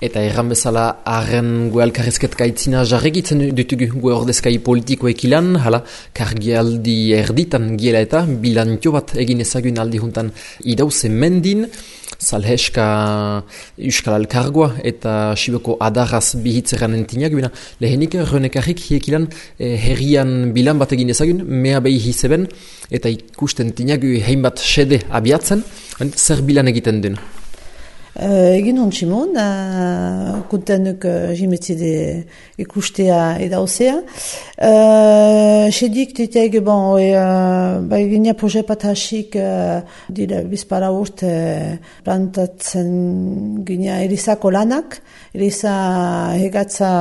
Eta erran bezala, arren gue alkarrezket gaitzina jarregitzen dutugu gue ordezkai politikoek ilan, hala, kargialdi erditan giela eta bilantio bat egin ezagun aldi juntan idauze mendin, salheska Euskal Alkargoa eta Siboko adarraz bihitzeran entinaguna. Lehenik Renekarrik hiekilan herrian bilan bat egin ezagun, mea behi hizeben, eta ikusten tinagu heinbat sede abiatzen, zer bilan egiten duen? Egin hontsimon, kuntenuk jimetzide ikustea edauzea. Sedik diteg, gina proje bat hasik dira bizpara urte plantatzen gina erizako lanak, eriza hegatza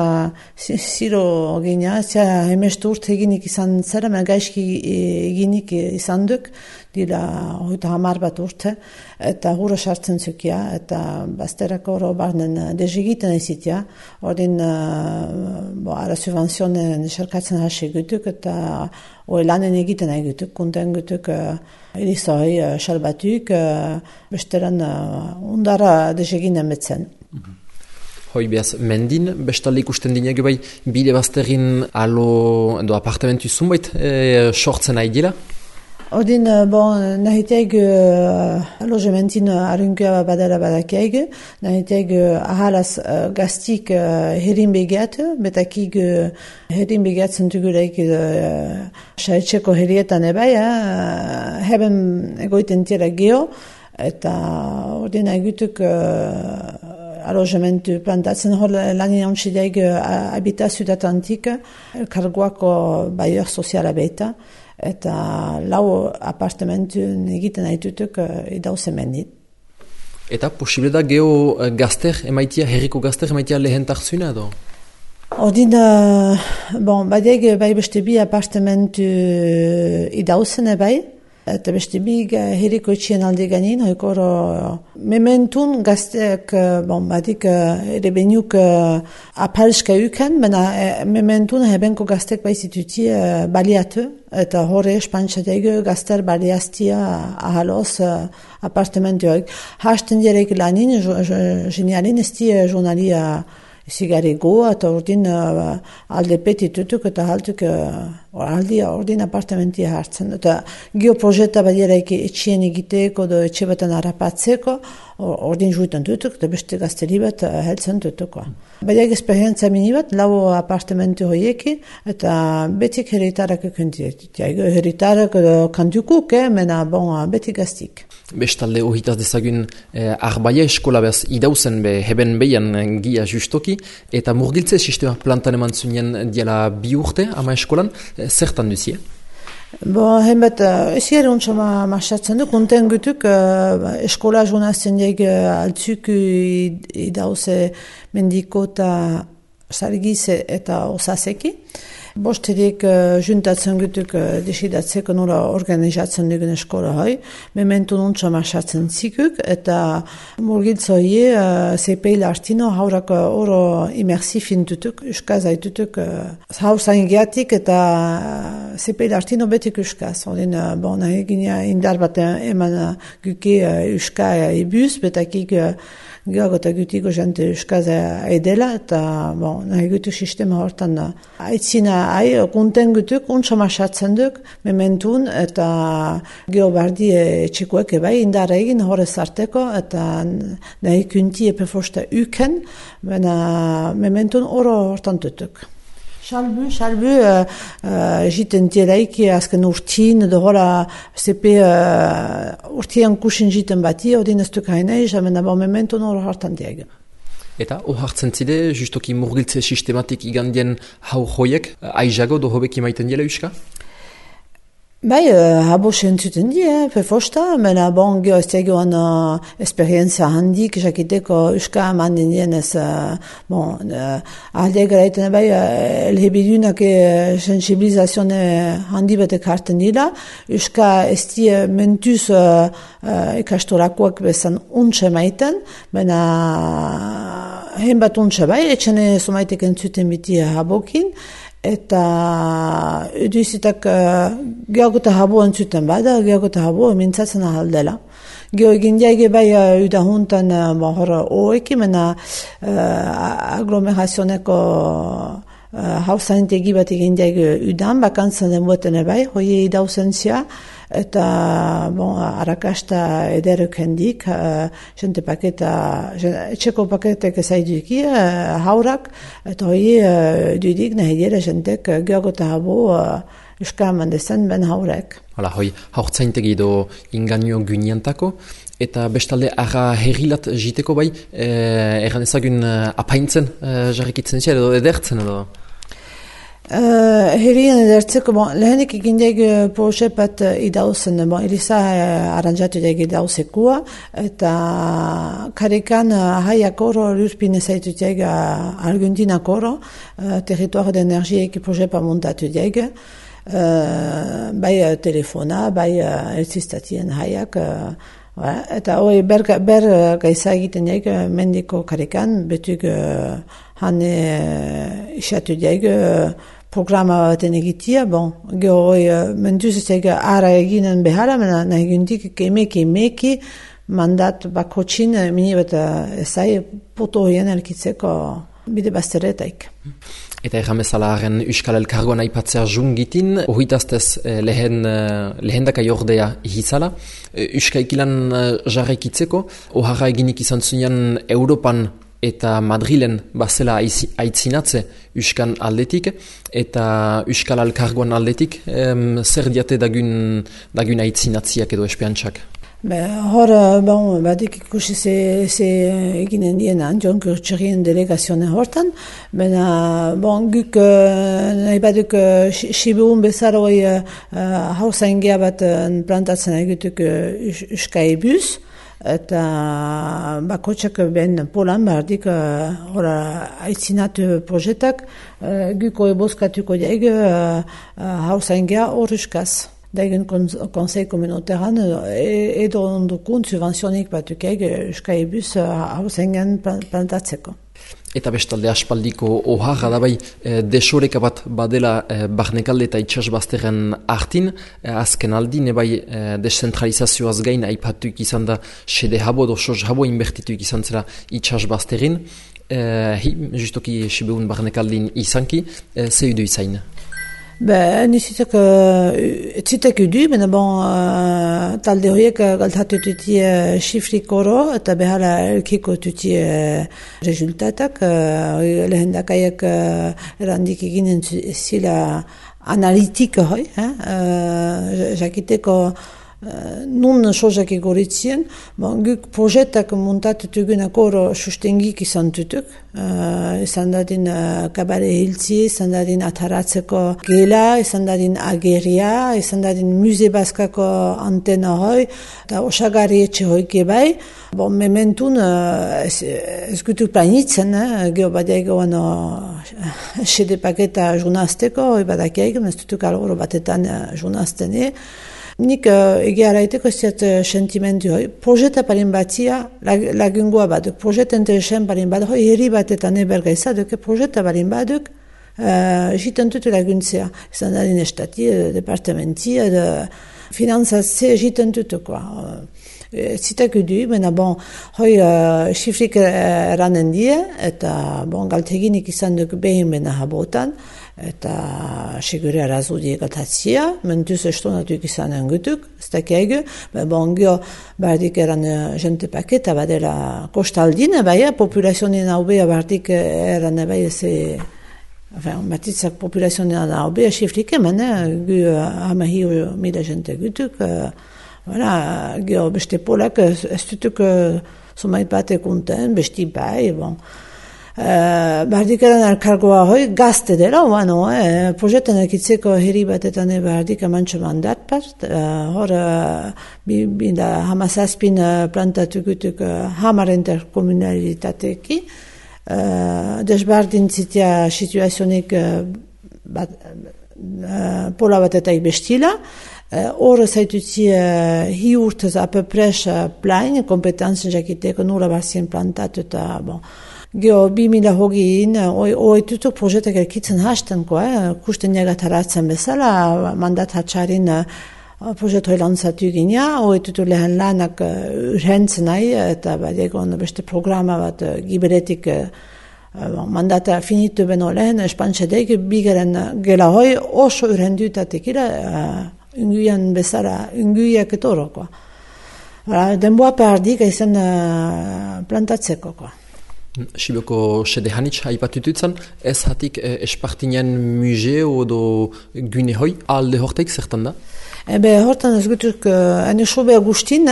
ziro gina, hemestu urte eginik izan zera, gaizki eginik izan duk, dira hoita hamar bat urte, eta hurra sartzen zukia, eta bazterako hori barnen dezigiten ezitia, ordin ara subvenzionen esarkatzen hasi gutuk, eta hori lanen egiten nahi gutuk, kunten gutuk erizoi salbatuk, besteran undara deziginen betzen. Hoi behaz, mendin, bestalde ikusten dinek bai, bide bazterin alo edo apartamentu zunbait sortzen nahi dira? Ordin, nahiteig alogementin arrunkea badara badakeig, nahiteig ahalaz gaztik herin begiat, betakig herin begiatzen dugureik saetxeko herietan ebai, heben egoiten tira geho, eta ordin egutuk alogementu plantatzen hor lanin ontsideig habitazio datantik, karguako baior soziala beta, eta lau apartamentu egiten haitutuk idauze mendit. Eta posible da geho gazter emaitia, herriko gazter emaitia lehentak zuna edo? Ordin, badeg bai beste bi apartamentu idauzen bai, eta beste bi herriko etxien alde ganin, hoikoro mementun gazteak, badik erebeniuk apalska uken, mena mementun hebenko gazteak baizituti baliatu, eta horre espantxateik gazter baliaztia ahaloz apartamentuak. Hasten direk lanin, genialin esti journalia zigarego, eta ordin alde petitutuk eta haltuk ordin apartamentia hartzen. Eta geoprojeta badiraik etxien egiteko, etxe baten harapatzeko, ordin juitan dutuk, eta beste gazteri bat heltzen dutuko. Badiak esperientzia mini bat, lau apartamentu hoieki, eta betik heritarak ekuntiet. Heritarak kantukuk, mena betik gaztik. Bestalde ohitaz dezagun arbaia eskola behaz idauzen heben behian gia justoki, eta murgiltze sistema plantan eman zunien diala 2 urte ama eskolan, zertan duzie? Hemet, ezier ontsa marxatzen duk, unten gutuk eskola jonazten diek altzuk idauze mendiko eta sargiz eta osaseki. Bosterik juntatzen gutuk desidatzeko nola organizatzen dugun eskola hai. Memento nontsa marxatzen zikuk, eta murgiltza hie zepeil artino haurak oro imersifin dutuk, euskaz haitutuk haur zaingiatik eta zepeil artino betik euskaz. Odin, nahi gina indar bat eman guke euska ebuz, betakik gehiago eta gutiko jante euskaz edela, eta nahi gutu sistema hortan aitzina konten gutuk, untsa marxatzen duk, mementun, eta geobardi etxekoek bai, indara egin horrez arteko, eta nahi kunti epefosta uken, mementun oro hortan dutuk. Salbu, jiten tielaiki azken urtin, edo hola zepe urtian kusin jiten bati, odin ez duk hainei, jamena mementun oro hortan diag. Eta hartzen zide, justoki murgiltze sistematik igandien hau joiek, aizago do hobeki maiten dela euska? Bai, habo sentzuten die, pefosta, mena geho ez tegoan esperientzia handik, jakiteko euska eman dien ez, alde garaiten bai, elhebidunak sensibilizazione handi betek harten dira, euska ez die mentuz ikastorakoak bezan untxe maiten, mena hen bat untxe bai, etxene somaitek entzuten biti habokin, eta eduzitak gehiago eta habo entzuten bada, gehiago eta habo mintzatzen ahaldela. Gio egin jaige bai udahuntan hor oekimena aglomerazioneko hausantegi bat egin jaige udan, bakantzan denboten bai, hoi idauzentzia, eta arrakasta ederuk hendik, jente paketa, etxeko paketek ezaiduki, haurak, eta hoi dudik nahi dira jentek geogota habo euskara mandezen ben haurek. Hala, hoi, haurtzaintegi edo inganio gyniantako, eta bestalde arra herrilat jiteko bai, erran ezagun apaintzen jarrikitzen zia edo edertzen edo? Herrien edertzeko, lehenik egin daig proxepat idauzen, Elisa aranjatu daig idauzekua, eta karekan haiak oro lurpine zaitu daig Argentinako oro, territoire d'energiek proxepa montatu daig, bai telefona, bai elzistatien haiak, eta hoi ber gaisa egiten daig mendiko karekan, betuk hane isatu daig programa baten egitia, geho hoi mentuz ez ara eginen behara, nahi gundik emeki mandat bakotxin mini bat ezai poto hoien elkitzeko bide bazteretaik. Eta erramezala haren Euskal Elkargoan aipatzea jungitin, ohitaztez lehendakai ordea hizala, Euskaikilan jarraikitzeko, oharra eginik izan zunean Europan eta Madrilen bazela aitzinatze Euskan aldetik, eta Euskal Elkargoan aldetik, zer diate dagun aitzinatziak edo espiantxak? Hor, badik ikusi ze eginen dienan, Jon Kurtxerien delegazioen hortan, guk nahi baduk Sibiun bezaroi hausaingia bat plantatzen egituk Euskai bus, eta bakotxak ben polan bardik aitzinatu projetak, guko eboskatuko daig hausaingia hor Euskaz. Daigen konsei komunitaran edo ondukun subvenzionik batukeg Euskai bus hausengen plantatzeko. Eta bestalde aspaldiko oharra da bai desoreka bat badela barnekalde eta itxasbazteren artin, azken aldin bai deszentralizazioaz gain aipatuk izan da sede habo edo sos habo inbertituik izan zera itxasbazterin, justoki Sibeun barnekaldin izanki, ze udu izain? Nizitek etzitek udu, talde horiek galtatu tuti xifrik oro eta behala elkiko tuti rezultatak. Lehendakaiak erandik eginen zila analitika hoi, jakiteko nun sozak egoritzien, guk projetak montatutugunak oro sustengik izan tutuk, izan dadin kabare hiltzi, izan dadin ataratzeko gela, izan dadin ageria, izan dadin muze baskako antena hoi, eta osagari etxe hoike bai, mementun ez gutuk planitzen, geho badiagoan sede paketa junazteko, hoi badakiaik, ez dutuk algoro batetan junaztene, nik egia araiteko ez ziat sentimentu hoi. Projeta parin batzia lagungua baduk. Projeta interesen parin baduk. Hoi herri batetan eberga izaduk. Projeta parin baduk jiten tutu laguntzea. Izan dadin estati, departamenti, finanzatze jiten tutu. Zitak udu, hoi xifrik eranen die, eta galteginik izan duk behin bena habotan, eta segure arazudi egaltatzia, mentuz estonatuik izanen gutuk, ez dakiaigu, gio bardik eran jente paketa badela kostaldine, populazionin haubea bardik eran batitzak populazionin haubea xifrik eman, gu hamahiu mila jente gutuk, gio beste polak ez dutuk somait bate konten, besti bai, bardik eran elkargoa hoi gazte dela, projetan ekitzeko herri batetan bardik amantxo mandat part, hor hamazazpin plantatu gutuk hamar interkomunalitateki, desbardin zitia situazionik pola batetaik bestila, hor zaitutzi hi urtez apepres plain, kompetantzen jakiteko nula barzien plantatu eta Geo 2000 hogin, tutuk projetak elkitzen hasten, kusten jagat haratzen bezala, mandat hatxarin proiektu hori lantzatu gina, hoetutu lehen lanak urhentzen nahi, eta egon beste programa bat giberetik mandata finitu beno lehen, espantxedek, bigaren gela hoi oso urhendutatekira, unguian bezala, unguiak etoroko. Denboa perdik izan plantatzeko. Siboko sede hanitz haipatututzen, ez hatik espartinen museo edo gune hoi, alde horteik zertan da? Hortan ez gutuk, ene sobe Agustin,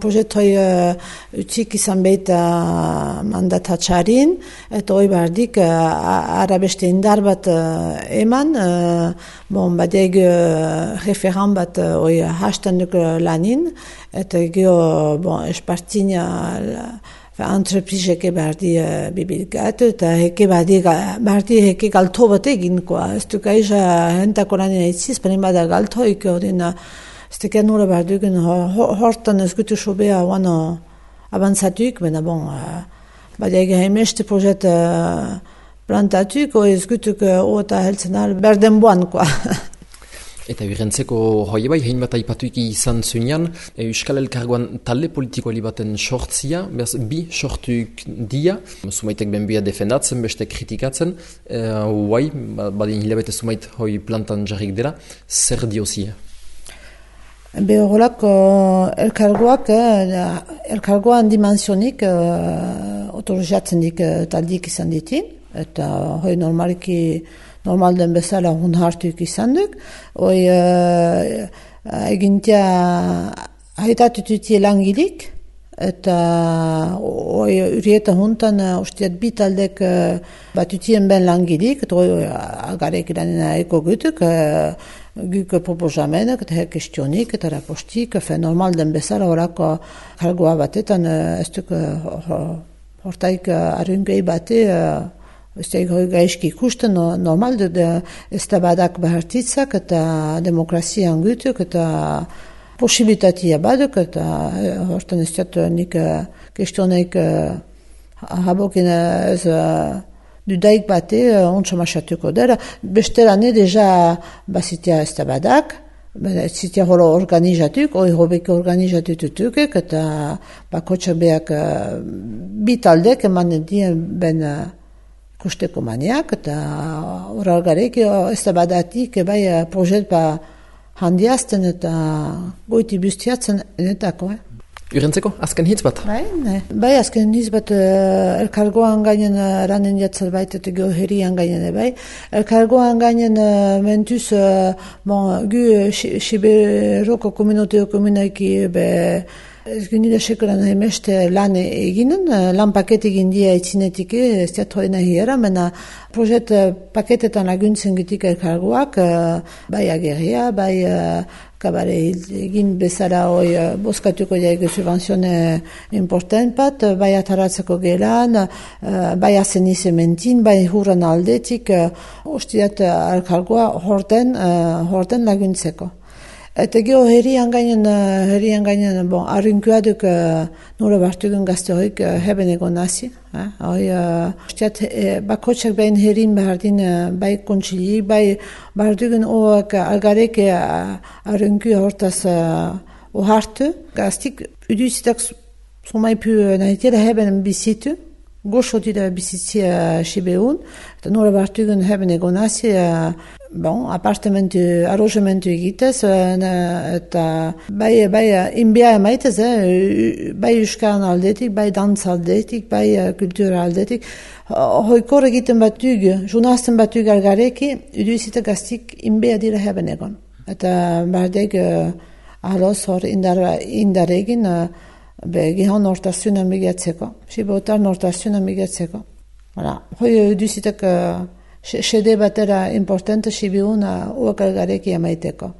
proiektu hoi utzik izan behita mandatatxarin, eta hoi bardik arabeste indar bat eman, badeg referan bat hoi hastan duk lanin, eta geho espartina entrepriseke bardi bibilgatu, eta heke bardi heke galto bat egin, ez duk aiza hentako lanin eitziz, panin bada galto eke hodin, ez teken nura bardugen, hortan ez gutu sobea wano avantzatuik, bena badeg haimeste projet plantatuik, ez gutuk oota heltzen al berdenboan, Eta birentzeko hoi bai, hein bat aipatuik izan zuenean, Euskal Elkargoan talde politikoali baten sortzia, behaz bi sortuik dia, sumaitek benbia defendatzen, beste kritikatzen, badin hilabete sumait hoi plantan jarrik dela, zer diozia? Horrelako elkargoan dimensionik otorizatzen dik taldik izan ditin, eta hoi normal den bezala hun hartuik izan duk. Hoi egintia haitatututie langilik, eta hoi urieta huntan ustiat bitaldek batutien ben langilik, eta hoi agarek iranena eko gutuk, guk proposamenak, eta kestionik, eta rapostik, normal den bezala horako kargoa batetan, ez duk hortaik arungei bate, ez da gaizki ikusten, normal ez da badak behartitzak eta demokrazian gutuk eta posibilitatea baduk eta hortan ez da nik kestioneik habokin ez dudaik bate ontsa masatuko dara. Bestelane deja bazitea ez da badak, zitea holo organizatuk, hoi hobeke organizatututukek eta bakotxak beak bitaldek eman dien ben kusteko maniak, eta horregarek ez da badatik bai projet handiazten eta goiti bustiatzen enetako. Urentzeko, azken hitz bat? Bai, azken hitz bat elkargoan gainen ranen jatzal baita eta geoherian gainen bai. Elkargoan gainen mentuz gu Siberoko komunoteo komunaiki ez gynida sekoran haimeste lan eginen, lan paket egin dia itzinetik ez diatu hori nahiera, mena projet paketetan laguntzen gitik elkargoak, bai ageria, bai kabare egin bezala hoi boskatuko jaik subvenzione important bat, bai ataratzeko gelan, bai azen izementin, bai hurran aldetik, ostiat elkargoa horten laguntzeko. Eta geho herrian gainen, arrinkuaduk nora bartugun gazte hoik heben egon nazi. Bakotxak behin herrin behardin bai kontsili, bai bartugun oak algareke arrinku hortaz ohartu. Gaztik uduzitak sumaipu nahitela heben bizitu. Goxo dira bizitzia Sibeun, eta nora bartugun heben egon nazi, arrozamentu egitez, eta bai inbia emaitez, bai euskaran aldetik, bai dantza aldetik, bai kultura aldetik. Hoikor egiten batug, junazten batug algareki, uduzitak gaztik inbia dira heben egon. Eta bardeg ahaloz hor indaregin, gihon nortazionan bigatzeko, Sibotar nortazionan bigatzeko. Hoi duzitak sede batera importante Sibiuna uakalgareki amaiteko.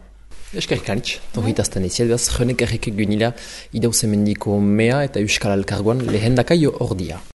Eskerrik anitz, tohitazten iziel behaz, jonek errekek gynila idauze mendiko mea eta Euskal Elkargoan lehendakaio ordia.